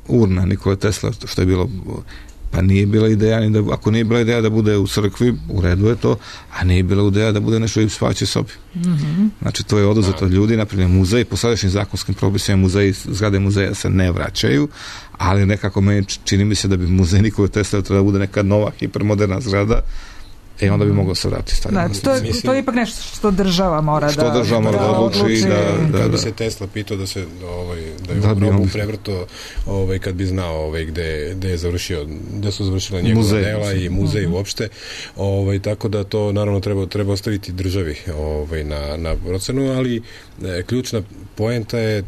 urna Nikole Tesla, što je bilo, pa nije bila ideja, ako nije bila ideja da bude u crkvi, u redu je to, a nije bila ideja da bude nešto i u spavaćoj sobi. Znači, to je oduzeto od ljudi, napravljen muzej, po sadašnjim zakonskim propisima zgrade muzeja se ne vraćaju, ali nekako meni čini mi se da bi muzej Nikole Tesla treba da bude neka nova, hipermoderna zgrada, onda bi moglo se vratiti. To je ipak nešto što država mora da odluči. Kad bi se Tesla pitao da se da je u grobu prevrto, kad bi znao gde su završila njegova dela i muzej uopšte, tako da to naravno treba ostaviti državi na procenu, ali ključna poenta je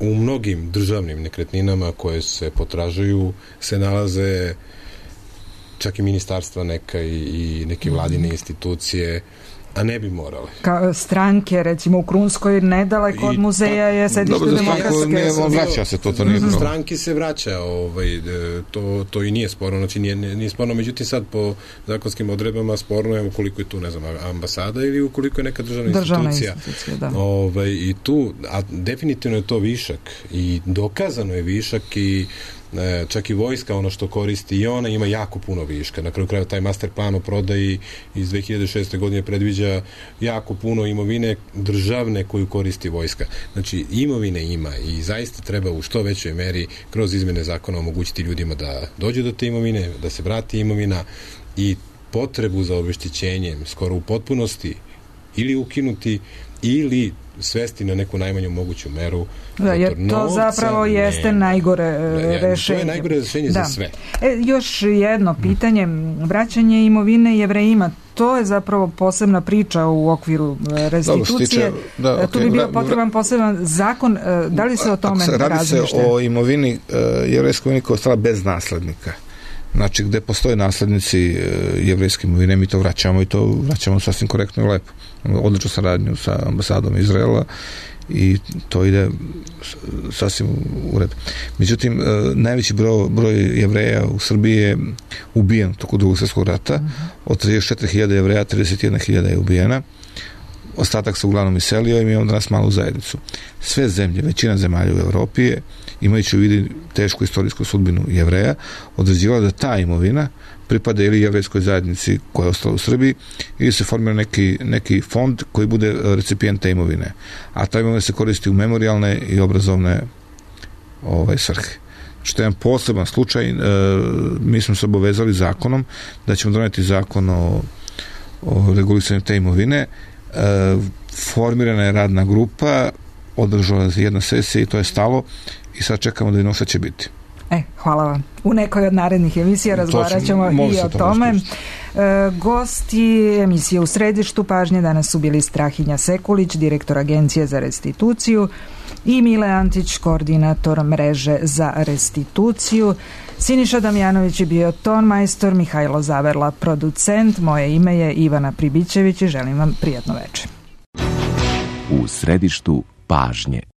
u mnogim državnim nekretninama koje se potražuju se nalaze čak i ministarstva neka i neke vladine institucije, a ne bi morali. Stranke, recimo u Krunskoj, nedaleko od muzeja je sedište demokratske. Vraća se to nije problem. Stranki se vraća, to i nije sporno, znači nije sporno, međutim sad po zakonskim odredbama sporno je ukoliko je tu, ne znam, ambasada ili ukoliko je neka državna institucija. I tu, a definitivno je to višak i dokazano je višak i čak i vojska ono što koristi i ona ima jako puno viška. Na kraju krajeva taj master plan o prodaji iz 2006. godine predviđa jako puno imovine državne koju koristi vojska. Znači imovine ima i zaista treba u što većoj meri kroz izmene zakona omogućiti ljudima da dođu do te imovine, da se vrati imovina i potrebu za obeštećenjem skoro u potpunosti ili ukinuti ili svesti na neku najmanju moguću meru. Jer to zapravo jeste najgore rešenje. To je najgore rešenje za sve. Još jedno pitanje, vraćanje imovine Jevrejima, to je zapravo posebna priča u okviru restitucije. Tu bi bio potreban poseban zakon. Da li se o tome razmišlja? Radi se o imovini, jevrejskoj imovini koja je ostala bez naslednika. Znači, gde postoje naslednici jevrejske imovine, mi to vraćamo i to vraćamo sasvim korektno i lepo. Odličnu saradnju sa ambasadom Izraela i to ide sasvim u redu. Međutim, najveći broj Jevreja u Srbiji je ubijen tokom Drugog svjetskog rata. Od 34.000 Jevreja 31.000 je ubijena. Ostatak se uglavnom iselio i mi imamo danas malu zajednicu. Sve zemlje, većina zemalja u Evropi je, imajući u vidu tešku istorijsku sudbinu Jevreja, određivala da ta imovina pripada ili jevrejskoj zajednici koja je ostala u Srbiji ili se formira neki fond koji bude recipijent te imovine. A ta imovina se koristi u memorijalne i obrazovne svrhe. Što je jedan poseban slučaj, mi smo se obavezali zakonom da ćemo doneti zakon o regulisanju te imovine. Formirana je radna grupa, održala se jedna sesija i to je stalo i sad čekamo da vidimo šta će biti. Hvala vam. U nekoj od narednih emisija razgovarat ćemo i o tome. Gosti emisije U središtu pažnje danas su bili Strahinja Sekulić, direktor Agencije za restituciju, i Mile Antić, koordinator mreže za restituciju. Siniša Damjanović je bio ton majstor, Mihajlo Zaverla producent, moje ime je Ivana Pribićević i želim vam prijatno večer. U središtu pažnje.